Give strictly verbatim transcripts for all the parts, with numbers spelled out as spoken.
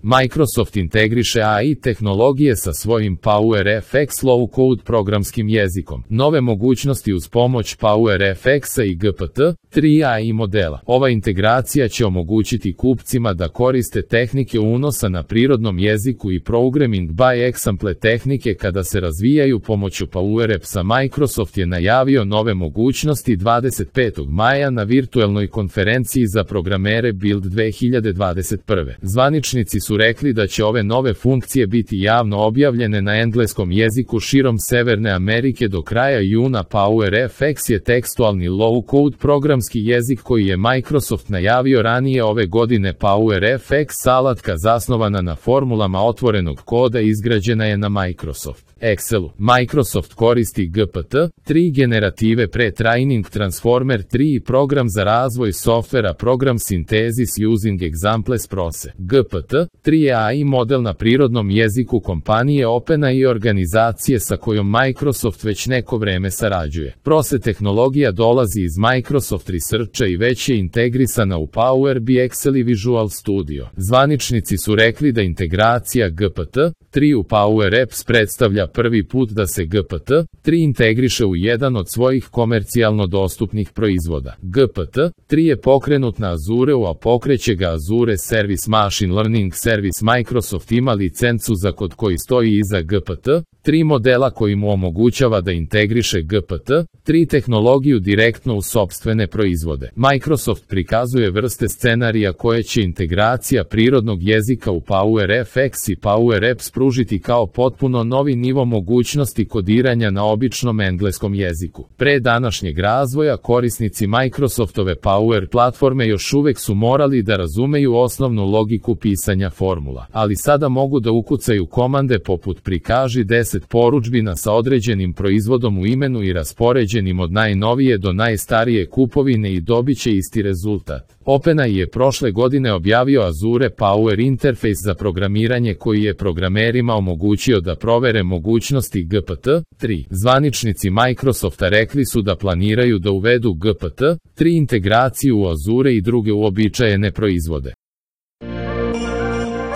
Microsoft integriše A I tehnologije sa svojim PowerFX low-code programskim jezikom. Nove mogućnosti uz pomoć PowerFX-a i G P T tri A I modela. Ova integracija će omogućiti kupcima da koriste tehnike unosa na prirodnom jeziku i programming by example tehnike kada se razvijaju pomoću PowerApps-a. Microsoft je najavio nove mogućnosti dvadeset petog maja na virtuelnoj konferenciji za programere Build dve hiljade dvadeset prve. Zvaničnici su rekli da će ove nove funkcije biti javno objavljene na engleskom jeziku širom Severne Amerike do kraja juna. PowerFX je tekstualni low-code programski jezik koji je Microsoft najavio ranije ove godine. PowerFX alatka zasnovana na formulama otvorenog koda izgrađena je na Microsoft Excelu. Microsoft koristi G P T tri generative pre-training Transformer tri i program za razvoj softvera Program Synthesis Using Examples Prose. G P T tri je A I model na prirodnom jeziku kompanije OpenAI i organizacije sa kojom Microsoft već neko vreme sarađuje. Prose tehnologija dolazi iz Microsoft Researcha i već je integrisana u Power B I, Excel i Visual Studio. Zvaničnici su rekli da integracija G P T tri u PowerApps predstavlja prvi put da se G P T tri integriše u jedan od svojih komercijalno dostupnih proizvoda. G P T tri je pokrenut na Azureu, a pokreće ga Azure Service Machine Learning Service. Microsoft ima licencu za kod koji stoji iza G P T tri modela koji mu omogućava da integriše G P T tri tehnologiju direktno u sopstvene proizvode. Microsoft prikazuje vrste scenarija koje će integracija prirodnog jezika u PowerFX i PowerApps pružiti kao potpuno novi nivo mogućnosti kodiranja na običnom engleskom jeziku. Pre današnjeg razvoja korisnici Microsoftove Power platforme još uvek su morali da razumeju osnovnu logiku pisanja formula, ali sada mogu da ukucaju komande poput prikaži deset porudžbina sa određenim proizvodom u imenu i raspoređenim od najnovije do najstarije kupovine i dobiće isti rezultat. OpenAI je prošle godine objavio Azure Power Interface za programiranje koji je programerima omogućio da provere mogućnosti G P T tri. Zvaničnici Microsofta rekli su da planiraju da uvedu G P T tri integraciju u Azure i druge uobičajene proizvode.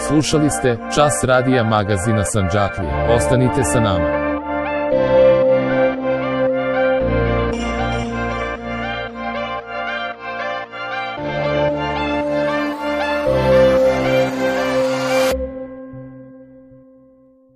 Slušali ste Čas radija magazina Sandžaklija. Ostanite sa nama.